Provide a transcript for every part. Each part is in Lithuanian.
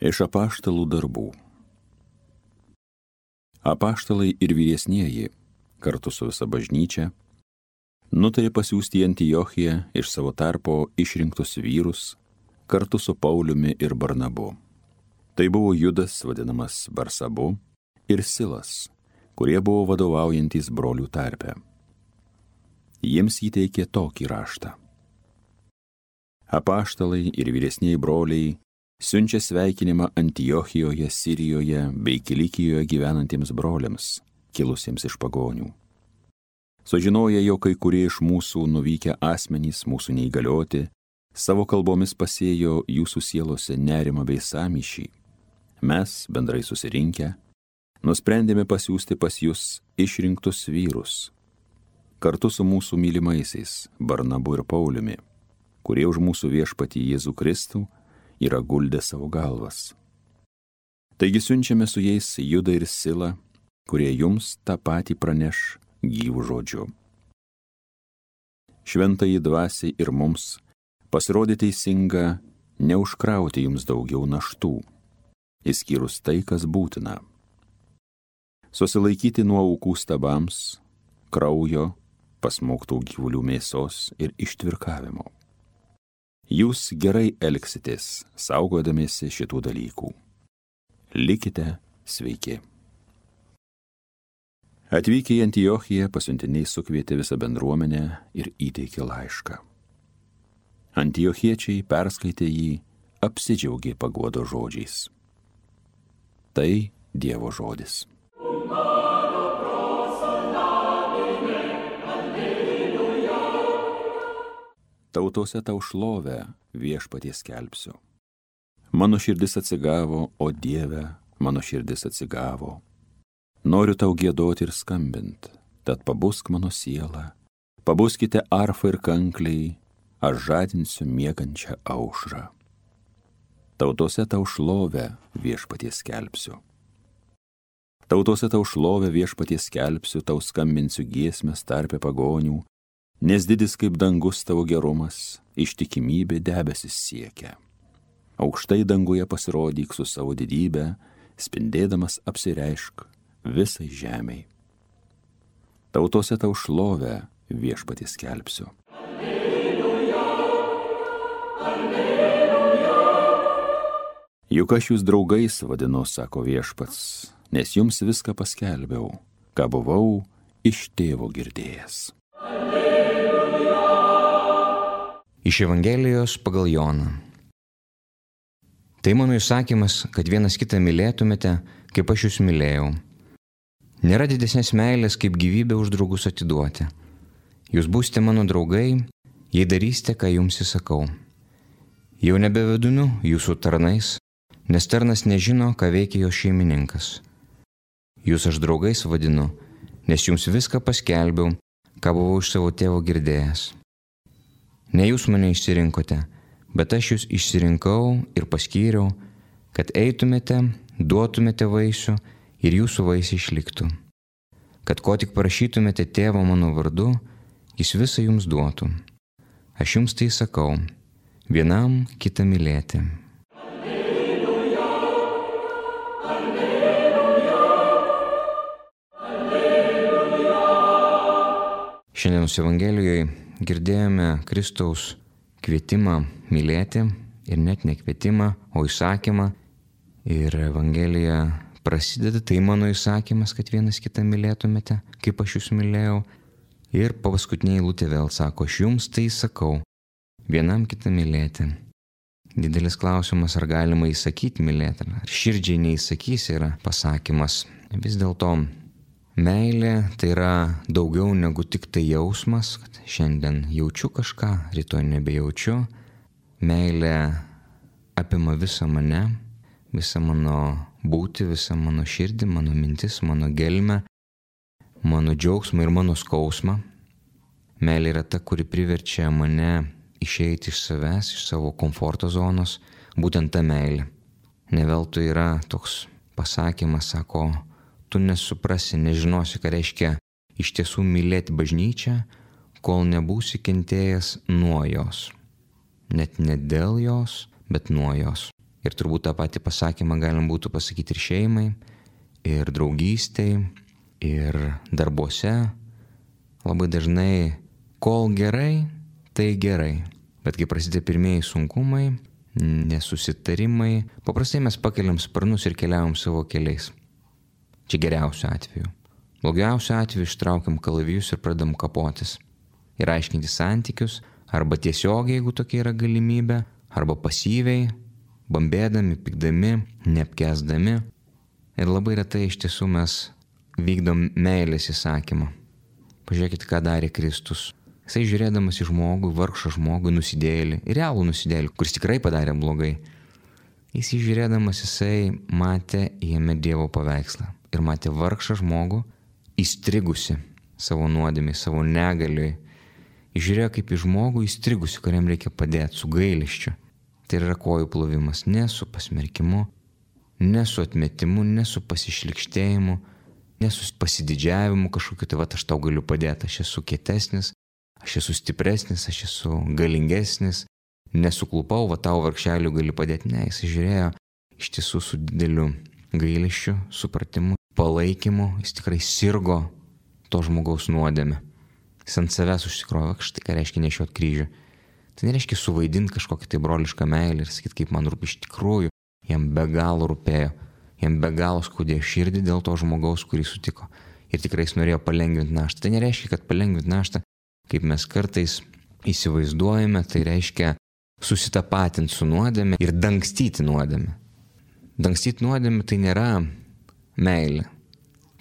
Iš apaštalų darbų. Apaštalai ir vyresnieji, kartu su visa bažnyčia, nutarė pasiųsti į Antiochiją iš savo tarpo išrinktus vyrus, kartu su Pauliumi ir Barnabu. Tai buvo Judas, vadinamas Barsabu, ir Silas, kurie buvo vadovaujantys brolių tarpe. Jiems įteikė tokį raštą. Apaštalai ir vyresnieji broliai siunčia sveikinimą Antiochijoje, Sirijoje bei Kilikijoje gyvenantiems broliams, kilusiems iš pagonių. Sužinoję, jog kai kurie iš mūsų nuvykę asmenys, mūsų neįgalioti, savo kalbomis pasėjo jūsų sielose nerimą bei sąmyšį, mes, bendrai susirinkę, nusprendėme pasiųsti pas jūs išrinktus vyrus, kartu su mūsų mylimaisiais Barnabu ir Pauliumi, kurie už mūsų viešpatį Jėzų Kristų yra guldę savo galvas. Taigi siunčiame su jais Judą ir Silą, kurie jums tą patį praneš gyvų žodžiu. Šventajai dvasiai ir mums pasirodė teisinga neužkrauti jums daugiau naštų, išskyrus tai, kas būtina. Susilaikyti nuo aukų stabams, kraujo, pasmauktų gyvulių mėsos ir ištvirkavimo. Jūs gerai elgsitės, saugodamiesi šitų dalykų. Likite sveiki. Atvykę į Antiochiją, pasiuntiniai sukvietė visą bendruomenę ir įteikė laišką. Antiochiečiai perskaitė jį, apsidžiaugė paguodo žodžiais. Tai Dievo žodis. Tautose tau šlovę viešpatie skelbsiu. Mano širdis atsigavo, o Dieve, mano širdis atsigavo. Noriu tau giedoti ir skambint, tad pabusk mano siela. Pabuskite arfą ir kankliai, aš žadinsiu miegančią aušrą. Tautose tau šlovę viešpatie skelbsiu. Tautose tau šlovę viešpatie skelbsiu, tau skambinsiu giesmes tarpe pagonių, nes didis kaip dangus tavo gerumas, ištikimybė debesis siekia. Aukštai danguje pasirodyk su savo didybę, spindėdamas apsireišk visai žemei. Tautose tau šlovę viešpatie skelbsiu. Alleluja, alleluja. Juk aš jūs draugais vadinu, sako viešpats, nes jums viską paskelbiau, ką buvau iš tėvo girdėjęs. Iš Evangelijos pagal Joną. Tai mano įsakymas, kad vienas kitą mylėtumėte, kaip aš jūs mylėjau. Nėra didesnės meilės, kaip gyvybę už draugus atiduoti. Jūs būsite mano draugai, jei darysite, ką jums įsakau. Jau nebevedinu jūsų tarnais, nes tarnas nežino, ką veikia jo šeimininkas. Jūs aš draugais vadinu, nes jums viską paskelbiau, ką buvau iš savo tėvo girdėjęs. Ne jūs mane išsirinkote, bet aš jūs išsirinkau ir paskyriau, kad eitumėte, duotumėte vaisių ir jūsų vaisiai išliktų. Kad ko tik prašytumėte tėvo mano vardu, jis visą jums duotų. Aš jums tai sakau, vienam kitą mylėti. Alleluja, alleluja, alleluja. Šiandienos Evangelijoje girdėjome Kristaus kvietimą mylėti ir net ne kvietimą, o įsakymą. Ir Evangelija prasideda, tai mano įsakymas, kad vienas kitą mylėtumėte, kaip aš jūs mylėjau. Ir paskutinė eilutė vėl sako, aš jums tai sakau, vienam kitą mylėti. Didelis klausimas, ar galima įsakyti mylėti, ar širdžiai neįsakysi yra pasakymas. Vis dėlto meilė tai yra daugiau negu tik tai jausmas, kad šiandien jaučiu kažką, rytoj nebejaučiu. Meilė apima visą mane, visą mano būtį, visą mano širdį, mano mintis, mano gelmę, mano džiaugsmą ir mano skausmą. Meilė yra ta, kuri priverčia mane išeiti iš savęs, iš savo komforto zonos, būtent ta meilė. Ne veltui yra toks pasakymas, sako, tu nesuprasi, nežinosi, ką reiškia iš tiesų mylėti bažnyčią, kol nebūsi kentėjęs nuo jos. Net ne dėl jos, bet nuo jos. Ir turbūt tą patį pasakymą galim būtų pasakyti ir šeimai, ir draugystei, ir darbuose. Labai dažnai, kol gerai, tai gerai. Bet kai prasideda pirmieji sunkumai, nesusitarimai, paprastai mes pakeliam sparnus ir keliaujam savo keliais. Čia geriausiu atveju. Blogiausiu atveju ištraukiam kalavijus ir pradam kapotis. Ir aiškinti santykius, arba tiesiogiai, jeigu tokia yra galimybė, arba pasyviai, bambėdami, pykdami, neapkęsdami. Ir labai retai iš tiesų mes vykdom meilės įsakymą. Pažiūrėkite, ką darė Kristus. Jisai žiūrėdamas į žmogų, vargšą žmogų, nusidėjėlį, realų nusidėjėlį, kuris tikrai padarė blogai. Jisai žiūrėdamas, jisai matė jame Dievo paveikslą. Ir matė vargšą žmogų, įstrigusi savo nuodėmei, savo negaliui. Jis žiūrėjo kaip į žmogų įstrigusi, kuriam reikia padėti, su gailesčiu. Tai yra kojų plovimas ne su pasmerkimu, ne su atmetimu, ne su pasišlikštėjimu, ne su pasididžiavimu kažkokiu, tai aš tau galiu padėti, aš esu kietesnis, aš esu stipresnis, aš esu galingesnis, nesuklupau, tau vargšeliu gali padėti. Ne, jis žiūrėjo iš tiesų su dideliu gailesčiu, supratimu, palaikymu, jis tikrai sirgo to žmogaus nuodėmę. Jis ant savęs užsikrovė, štai ką reiškia nešiot kryžių. Tai nereiškia suvaidinti kažkokią tai brolišką meilę ir sakyti, kaip man rūpi iš tikrųjų. Jam be galo rūpėjo, jam be galo skaudėjo širdį dėl to žmogaus, kurį sutiko. Ir tikrai jis norėjo palengvinti naštą. Tai nereiškia, kad palengvinti naštą, kaip mes kartais įsivaizduojame, tai reiškia susitapatinti su nuodėme ir dangstyti nuodėme. Dangstyti nuodėme tai nėra meilė,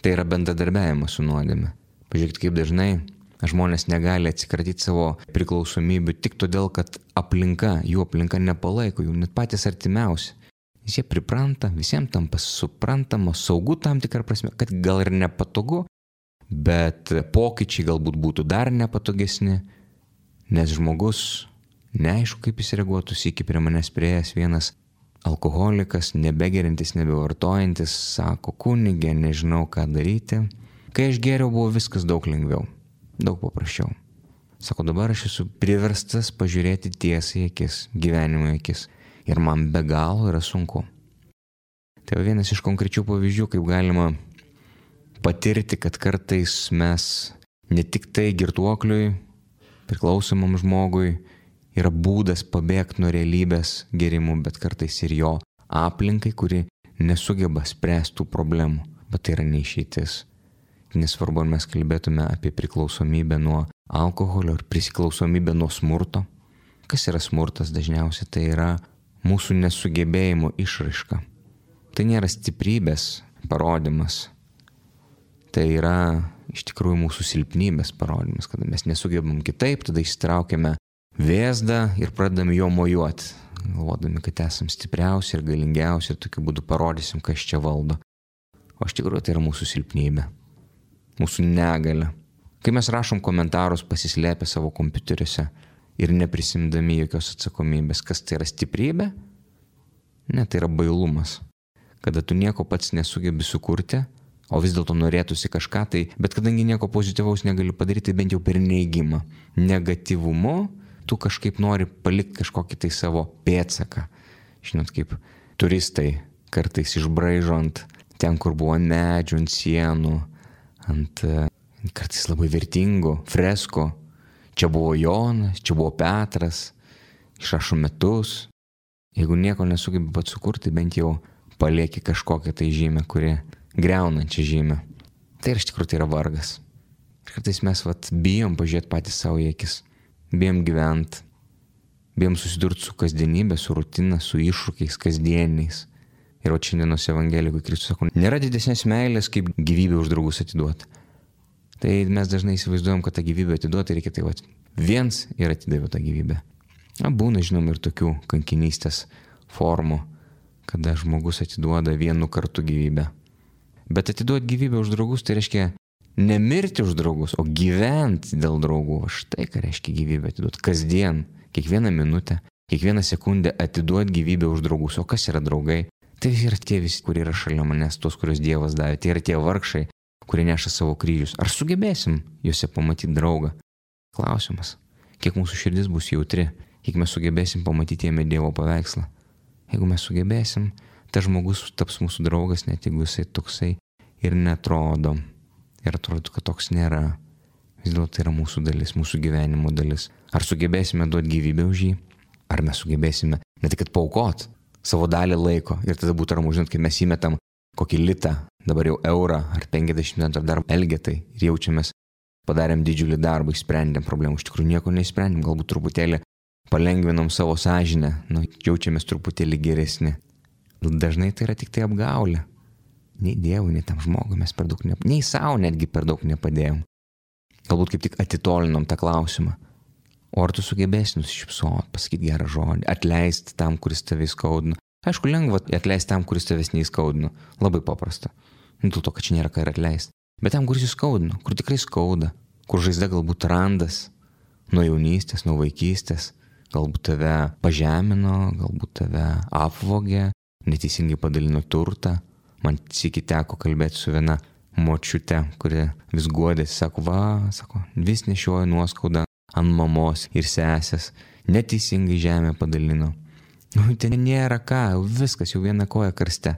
tai yra bendradarbiavimas su nuodėme. Pažiūrėkite, kaip dažnai žmonės negali atsikratyti savo priklausomybių tik todėl, kad jų aplinka nepalaiko, jų net patys artimiausi. Jie pripranta, visiems tampa suprantama, saugu tam tikrą prasme, kad gal ir nepatogu, bet pokyčiai galbūt būtų dar nepatogesni, nes žmogus neaišku, kaip jis reaguotų, sykį prie manęs priėjęs vienas alkoholikas, nebegerintis, nebevartojantis, sako, kunige, nežinau ką daryti. Kai aš geriau, buvo viskas daug lengviau. Daug paprasčiau. Sako, dabar aš esu priverstas pažiūrėti tiesai į akis, gyvenimo į akis. Ir man be galo yra sunku. Tai vienas iš konkrečių pavyzdžių, kaip galima patirti, kad kartais mes ne tik tai girtuokliui, priklausomam žmogui, yra būdas pabėgti nuo realybės gerimų, bet kartais ir jo aplinkai, kuri nesugeba spręsti tų problemų. Bet tai yra neišeitis. Nesvarbu, ar mes kalbėtume apie priklausomybę nuo alkoholio ar priklausomybę nuo smurto. Kas yra smurtas dažniausiai? Tai yra mūsų nesugebėjimo išraiška. Tai nėra stiprybės parodymas. Tai yra iš tikrųjų mūsų silpnybės parodymas, kada mes nesugebam kitaip, tada išsitraukiame vėzdą ir pradedame jo mojuoti, galvodami, kad esam stipriausi ir galingiausi ir tokiu būdu parodysim, kas čia valdo. O iš tikrųjų tai yra mūsų silpnybė. Mūsų negalia. Kai mes rašom komentarus pasislėpę savo kompiuteriuose ir neprisimdami jokios atsakomybės, kas tai yra stiprybė? Ne, tai yra bailumas. Kada tu nieko pats nesugebi sukurti, o vis dėlto norėtųsi kažką, tai, bet kadangi nieko pozityvaus negali padaryti, bent jau per neigimą, negatyvumu, tu kažkaip nori palikti kažkokį tai savo pėdsaką. Žinot, kaip turistai kartais išbraižo ant ten, kur buvo ant medžių, ant sienų, ant kartais labai vertingų freskų. Čia buvo Jonas, čia buvo Petras, išrašo metus. Jeigu nieko nesugebi pat sukurti, bent jau palieki kažkokią tai žymę, kuri greunančią žymę. Tai iš tikrųjų tai yra vargas. Ir kartais mes bijom pažiūrėti patys savo į akis. Bijom gyventi. Bijom susidurti su kasdienybė, su rutina, su iššūkiais kasdieniais. Ir šiandienos Evangelijoj Kristus sako, nėra didesnės meilės, kaip gyvybę už draugus atiduoti. Tai mes dažnai įsivaizduojam, kad tą gyvybę atiduoti reikia tai viens ir atidavė tą gyvybę. Būna, žinom, ir tokių kankinystės formų, kada žmogus atiduoda vienu kartu gyvybę. Bet atiduoti gyvybę už draugus, tai reiškia nemirti už draugus, o gyventi dėl draugų. Štai ką reiškia gyvybę atiduoti. Kasdien, kiekvieną minutę, kiekvieną sekundę atiduoti gyvybę už draugus. O kas yra draugai? Tai yra tie visi, kurie yra šalia manęs, tos, kurios Dievas davė. Tai yra tie vargšai, kurie neša savo kryžius. Ar sugebėsim juose pamatyti draugą? Klausimas. Kiek mūsų širdis bus jautri, kiek mes sugebėsim pamatyti jame Dievo paveikslą. Jeigu mes sugebėsim, tas žmogus taps mūsų draugas, net jeigu jisai toksai ir netrodo. Ir atrodo, kad toks nėra. Vis dėlto tai yra mūsų dalis, mūsų gyvenimo dalis. Ar sugebėsime duoti gyvybę už jį? Ar mes sugebėsime ne tik paaukot savo dalį laiko ir tada būtų ramu, žinot, kai mes įmetam kokį litą, dabar jau eurą ar 50 centų ar dar elgetai ir jaučiamės, padarėm didžiulį darbą, išsprendėm problemų, iš tikrųjų nieko neišsprendėm, galbūt truputėlį palengvinom savo sąžinę, jaučiamės truputėlį geresni. Dažnai tai yra tik tai apgaulė. Nei Dievui, nei tam žmogui mes per daug nei savo netgi per daug nepadėjom. Galbūt kaip tik atitolinom tą klausimą. O ar tu sugebėsi nusišypsot, pasakyti gerą žodį, atleisti tam, kuris tave įskaudino? Aišku, lengva atleisti tam, kuris tavęs neįskaudino. Labai paprasta. Dėl to, kad čia nėra ką ir atleisti. Bet tam, kuris įskaudino, kur tikrai skauda, kur žaizda galbūt randas nuo jaunystės, nuo vaikystės, galbūt tave pažemino, galbūt tave apvogė, neteisingai padalino turtą. Man sykį teko kalbėti su viena močiute, kuri vis guodėsi, sako, vis nešioja nuoskaudą ant mamos ir sesės, neteisingai žemę padalino. Ten nėra ką, viskas jau viena koja karste.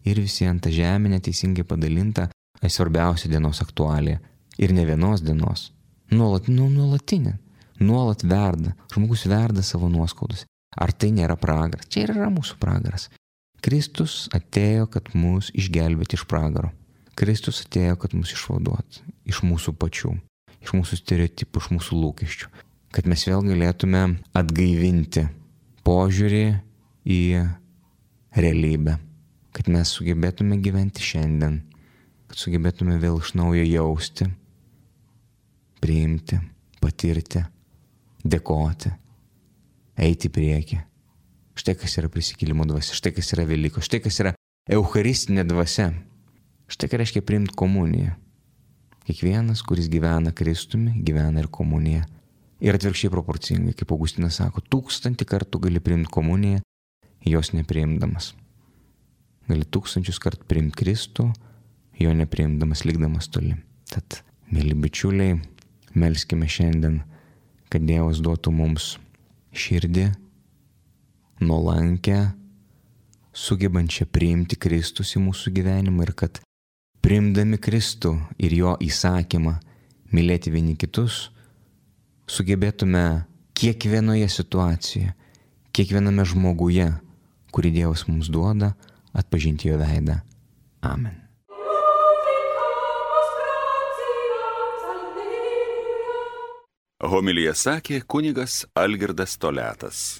Ir visi ant tą žemę neteisingai padalinta, svarbiausia dienos aktualija. Ir ne vienos dienos. Nuolatinė. Nuolat verda. Žmogus verda savo nuoskaudus. Ar tai nėra pragaras? Čia yra mūsų pragaras. Kristus atėjo, kad mus išgelbėti iš pragaro. Kristus atėjo, kad mus išvaduot iš mūsų pačių, iš mūsų stereotipų, iš mūsų lūkesčių. Kad mes vėl galėtume atgaivinti požiūrį į realybę. Kad mes sugebėtume gyventi šiandien. Kad sugebėtume vėl iš naujo jausti, priimti, patirti, dėkoti, eiti į priekį. Štai kas yra prisikėlimo dvasia, štai kas yra Velykos, štai kas yra eucharistinė dvasia. Štai ką reiškia priimti komuniją. Kiekvienas, kuris gyvena Kristumi, gyvena ir komuniją. Ir atvirkščiai proporcingai, kaip Augustinas sako, 1000 kartų gali priimti komuniją, jos nepriimdamas. Gali 1000 kartų priimti Kristų, jo nepriimdamas, likdamas toli. Tad, mėly bičiuliai, melskime šiandien, kad Dievas duotų mums širdį, nuolankę, sugebančią priimti Kristus į mūsų gyvenimą ir kad priimdami Kristų ir jo įsakymą mylėti vieni kitus, sugebėtume kiekvienoje situacijoje, kiekviename žmoguje, kurį Dievas mums duoda, atpažinti jo veidą. Amen. Homiliją sakė kunigas Algirdas Toliatas.